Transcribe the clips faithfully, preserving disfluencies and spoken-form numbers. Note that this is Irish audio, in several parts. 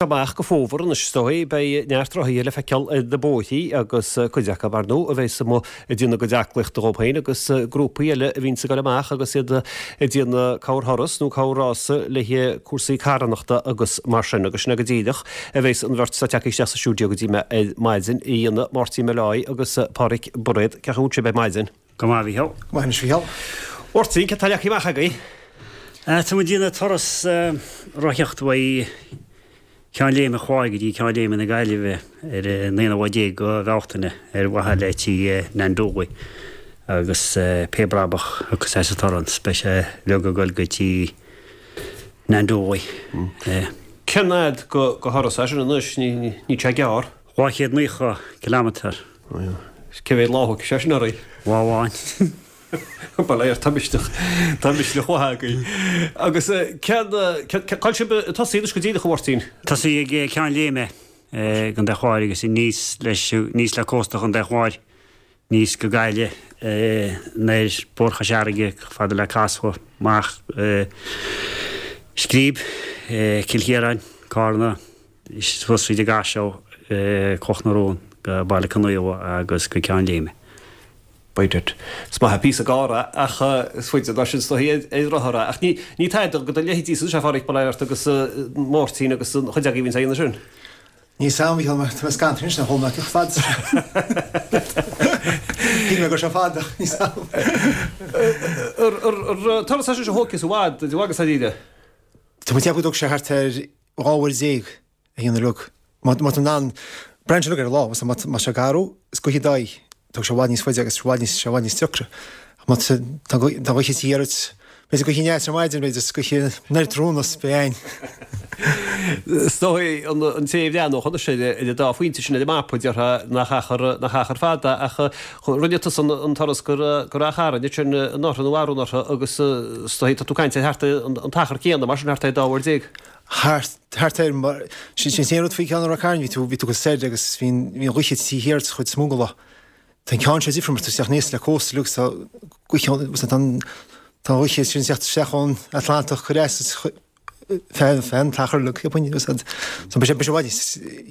Amach go fómhar anois is dóigh, beidh neart rothaithe le feiceáil ar na bóithrí agus cuid acu, ar ndóigh, a bheas amuigh ag déanamh a gcuid aclaíochta dhóibh féin agus grúpaí eile a bhíonns ag dul amach agus iad ag déanamh corrthuras nó corr-rása le cúrsaí carthanachta agus mar sin. Agus sin é go díreach a bheas an bheirt atá tagtha isteach sa stiúideo go dtí mé ar maidin a dhéanamh, Máirtín Molloy agus Páraic Bairéad. Cén chaoi a bhfuil sibh ar maidin? Go maith, a Mhícheáil. Go maith anois, a Mhícheáil. Máirtín, cad tá leagtha amach agaibh? Tá muid ag déanamh turas rothaíochta uaidh Ceann Léime an Chláir go dtí Ceann Léime na Gaillimhe ar an aonú lá déag de Bhealtaine ar mhaithe le Tigh Nan Dooley agus pé brabach a thiocfas as an turas beidh sé uilig ag dul go Tigh Nan Dooley. Cén fhad de thuras é sin anois? Níl sé gearr. Dhá chéad naocha kilometre. Cé mhéad lá a thógfaidh sé sin oraibh? Lá amháin. Bail ó Dhia ort, tá misneach, tá misneach mhaith agaibh. Agus cén, cá bhfuil sibh ag tosaí anois go díreach, a Mháirtín? Tosaí ag Ceann Léime i gContae an Chláir agus aníos leis, aníos le cósta Chontae an Chláir, aníos go Gaillimh, anoir Bóthar Chois Fharraige, chomh fada le Casla, amach Scríb, Cill Chiaráin, Cárna, suas tríd an gCaiseal, Cloch na Rón go Baile Conaola agus go Ceann Léime. By dad. Is maith an píosa gearr é ach is faide ná sin is dóichí ar rothar é. Ach ní ní tada do do leithéidí is ea a Pháraic, bail ó Dhia ort agus Máirtín agus an chuid agaibh a bhíonns á dhéanamh sin. Níl 's a'm, a Mhícheáil, mar tá mé scannta anois nach bhfuil mé chomh fada sin. Shíl mé go raibh sé fada ach níl 's a'm. Ar turas é sin a thógfas i bhfad, i bhfad agus dáiríre? Tá mé ag ceapadh go dtógfaidh sé thart ar dhá uair déag a dhéanamh uilig. Má tá tú in ann, braitheann sé uilig ar an lá, má tá sé garbh is gaoth i d'aghaidh, tógfaidh sé i bhfad níos faide agus i bhfad níos, sé i bhfad níos deacra. Ach má tá, tá an ghaoth thiar ort, b'fhéidir gaoth aneas ar maidin, b'fhéidir is gaoth anoir tráthnóna is beidh againn. Is dóigh an, an té a bhreathnódh anois ar, ar an dá phointe sin ar an mapa, déarfá nach achar, nach achar fada ach rinne tusa an, an turas go, go Ráth Chairn ansin anuraidh nó arú anuraidh agus is dóigh tá tú ag caint ar thart an, an t-achar céanna, mar sin thart ar dá uair déag. Thart, thart ar, mar, sin, sin an t-aon rud faoi cheann Ráth Chairn, bhí tú, bhí tú go soir agus bhí an, bhí an ghaoth thiar ort chuid is mó den lá. Tá an ceann seo difriúil mar tá tú ag teacht aníos le cósta uilig tá gaoth ann, tá an, tá an ghaoth sin ag teacht isteach ón Atlantach chomh deas is feadh, feadh an t-achar uilig, cheapfainn, so beidh sé, beidh sé i bhfad níos,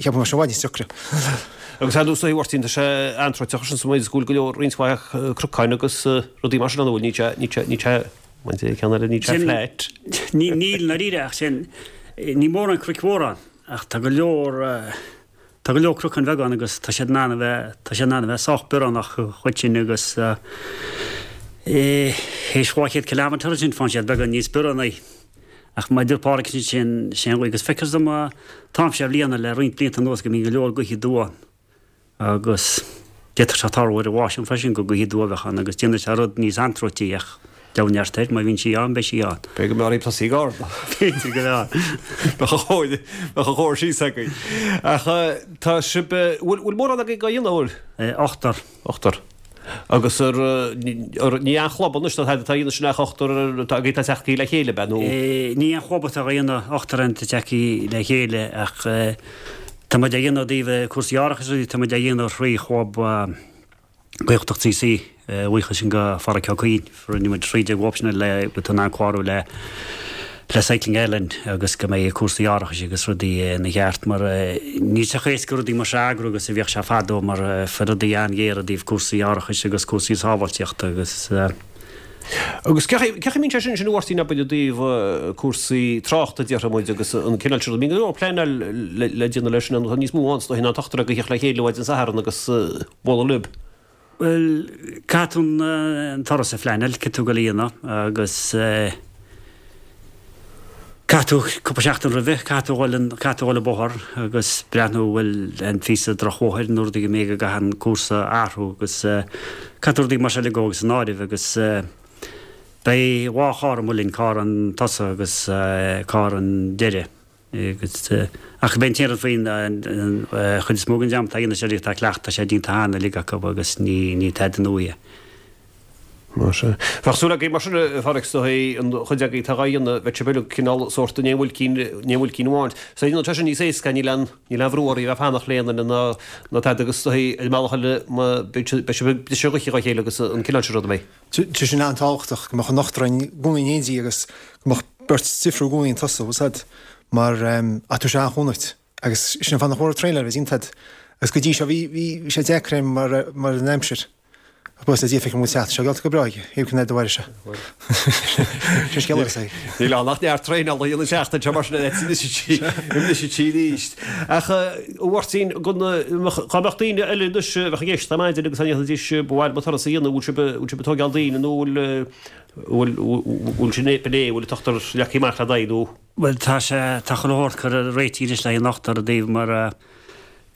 cheapfainn beidh sé i bhfad níos deacra. Agus ar ndóigh, a Mháirtín, tá sé antroiteach sin sa méid is go bhfuil go leor roinnt mhaith cnocáin agus rudaí mar sin ann, an bhfuil, níl sé, níl sé, níl sé, mar a deir ceann eile, níl sé flat. Níl, níl i ndáiríre ach sin, níl mórán cnoic mhóra ann ach tá go leor, tá go leor cnocáin bheaga ann agus tá siad in ann a bheith, tá siad in ann a bheith sách bioránach an chuid sin agus théis dhá chéad kilometre ansin faigheann siad beagán níos bioránaí. Ach mar a deir Páraic sin, sin an ghaoth agus feictear dom an t-am seo bliana le roinnt blianta anuas go mbíonn go leor gaoithe aduaidh ann. Agus d'fhéadfadh sé tarlú ar an lá sin freisin gur gaoth aduaidh a bheadh ann agus déanfaidh sé rud níos antróití ach deabhadh neart air, má bhíonn sí ann, beidh sí ann. B'fhéidir go mbeadh oraibh tosaí ag Ard. B'fhéidir go mbeadh. Bheadh an chóir, bheadh an chóir síos agaibh. Ach tá sibh, bhfuil, bhfuil mórán agaibh á dhéanamh, an bhfuil? Ochtar. Ochtar. Agus ar, ar, ní aon chlub anois atá á dhéanamh sin ach ochtar atá agaibh atá tagtha le chéile, ab ea, nó? Ní aon chlub atá á dhéanamh, ochtar atá tagtha le chéile ach tá muid á dhéanamh i dtaobh cúrsaí árachais agus tá muid á dhéanamh thrí chlub Gaeltacht CC, a bhuíochas sin go Pháraic Ó Cuinn, rinne muid thrí déag sin le go bhfuil tú in ann clárú le le Cycling Ireland agus go mbeidh cúrsaí árachais agus rudaí ina cheart mar níl sé chomh éasca rudaí mar seo a eagrú agus a bhíodh sé fadó mar bhí rudaí an-ghéar i dtaobh cúrsaí árachais agus cúrsaí sábháilteachta agus Agus cén chaoi a mbíonn sé sin sin a Mháirtín abair i dtaobh cúrsaí tráchta déarfaidh muid agus an cineál sin, bíonn go leor pleanáil le déanamh leis sin, tá níos mó ann is dóichí ná an t-ochtar agaibh a theacht le chéile maidin Sathairn agus bualadh libh. Bhuel, caithfidh tú an turas a phleanáil, caithfidh tú dul a dhéanamh agus caithfidh tú cúpla seachtain roimhe, caithfidh tú dhul an, caithfidh tú dhul an bóthar agus breathnú an bhfuil aon phíosa drochbhóthair nó rudaí go mb'fhéidir go gcaithfidh an cúrsa a athrú agus caithfidh tú rudaí mar seo uilig a thabhairt san áireamh agus beidh dhá charr amuigh linn, carr an tosaigh agus carr an deiridh agus ach beidh an t-aon rud faoin an chuid is mó den dream atá ag déanamh seo uilig tá cleachtadh, tá sé déanta cheana uilig acu agus ní ní tada nua é. Mar sin. Bheadh súil agaibh mar sin, a Pháraic, is dóichí, an chuid agaibh atá dhá dhéanamh, bheadh sibh uilig cineál sórt in aon bhuailcín, in aon bhuailcín amháin. So tá sé níos éasca, níl aon, níl aon bhrú oraibh a bheith ag fanacht le aon duine ná, ná tada agus is dóichí, ar an mbealach eile, má, beidh sibh, beidh sibh ag briseadh gaoithe dhá chéile agus an cineál sin ruda, mbeidh. Tá sin an-tábhachtach, go mbeadh an ochtar againn i gcónaí in éindí agus go mbeadh beirt difriúil i gcónaí ag tosú, bhfuil 's a'd. Mar ach tabharfaidh sé an-chúnamh duit. Agus sin an fáth nach mór traenáil a bheith iontach. Agus go dtí seo bhí bhí sé deacair mar mar an aimsir. Buíochas le Dia feicim go bhfuil teacht seo geallta go breá aige, thaobh cinn de bharr sé. Sin scéal eile é. Níl ann ach neart traenála a dhéanamh an tseachtain seo mar sin anois arís. Ach a Mháirtín, dá mbeadh daoine eile anois a bheadh ag éisteacht ar maidin agus dá ndéarfaidís ba mhaith liom an turas a dhéanamh, bhfuil sibh bhfuil sibh ag tógáil daoine nó bhfuil bhfuil bhfuil sin é bhfuil an t-ochtar leagtha amach le d'aghaidh nó? Bhuel tá sé tá chuile shórt curtha réitithe anois le haghaidh an ochtar daoibh mar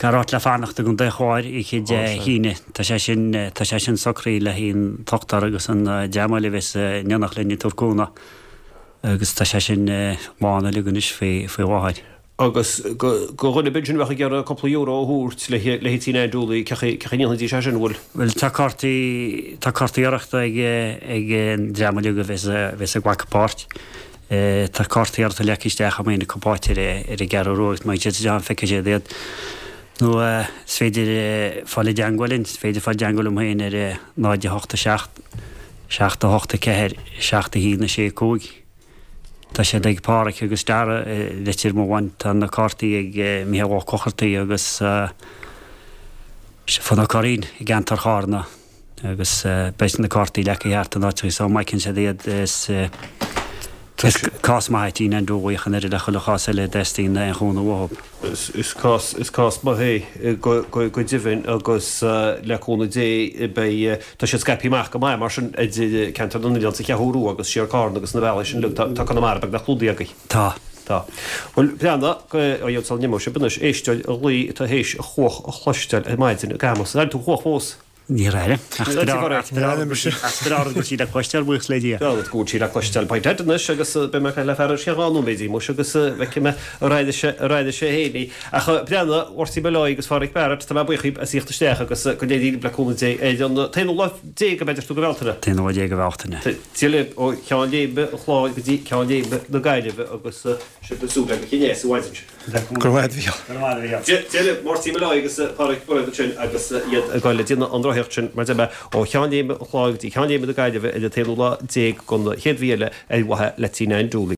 Caithfear áit le fanacht i gContae an Chláir oíche Dé hAoine. Tá sé sin, tá sé sin socraithe le haghaidh an t-ochtar agus an dream eile a bheas in éineacht linn ag tabhairt cúnamh agus tá sé sin lán uilig anois faoi, faoi láthair. Agus go, go dhuine ar bith ansin a bheadh ag iarraidh cúpla euro a thabhairt le, le Tigh Nan Dooley, cén chaoi, cén chaoi a ndéanfaidís é sin, an bhfuil? Bhuel, tá cártaí, tá cártaí urraitheachta ag, ag an dream uilig a bheas, a bheas ag glacadh páirt. Tá cártaí urraitheachta leagtha isteach amuigh ina cupáit ar an gCeathrú Rua agus má théann siad isteach ann feicfidh siad iad. Nó is féidir fáil i dteangmháil linn, is féidir fáil i dteangmháil liom féin ar náid a hocht a seacht, seacht a hocht a ceathair, seacht a haon a sé a cúig. Tá siad ag Páraic agus Dara i Leitir Mealláin, tá na cártaí ag Micheál Ó Clochartaigh agus Stiofán Ó Curraoin i gceantar Chárna. Agus beidh na cártaí leagtha thart in áiteacha so má fheiceann siad iad is is cás maith é Tigh Nan Dooley ach an oiread le chuile chás eile a dteastaíonn aon chúnamh uathu. Is cás is cás maith é go go go deimhin agus le cúnamh Dé beidh tá siad scaipthe amach go maith mar sin idir ceantar na nOileán sa Cheathrú Rua agus siar Cárna agus na bealaí sin uilig tá tá Conamara beagnach clúdaithe agaibh. Tá. Tá. Bhuel breathnaigh a dhéanamh sula n-imeoidh sibh anois éisteoir a ghlaoigh atá théis a chuach a chloisteáil ar maidin ag Amos. Ar airigh tú an chuach fós? Níor airigh. Ach is breá go bhfuil sí le cloisteáil, buíochas le Dia. Breá go bhfuil sí le cloisteáil. Beidh Ted anois agus beidh mé ag caint le fear ar feadh dhá nóiméad muis agus feicfidh mé ar airigh sé ar airigh sé féin í. Ach breathnaigh, a Mháirtín Molloy agus a Pháraic Barrett, tá mé buíoch díbh as thíocht isteach agus go n-éirí libh le cúnamh Dé ar an t-aonú lá déag ab ea deir tú de Bhealtaine. T-aonú lá déag de Bhealtaine. Dia libh ó Cheann Léime an Chláir go dtí Ceann Léime na Gaillimhe agus sibh ag súil le go chinneas i bhfad ansin. Go raibh maith agat, a Mhícheáil. Go raibh maith agat, a Mhícheáil. Dia libh, Máirtín Molloy agus Páraic Bairéad ansin agus iad ag dul ag déanamh an rothaíocht sin, mar a deir mé, ó Cheann Léime an Chláir go dtí Ceann Léime na Gaillimhe ar an t-aonú lá déag den chéad mhí eile ar mhaithe le Tigh Nan Dooley.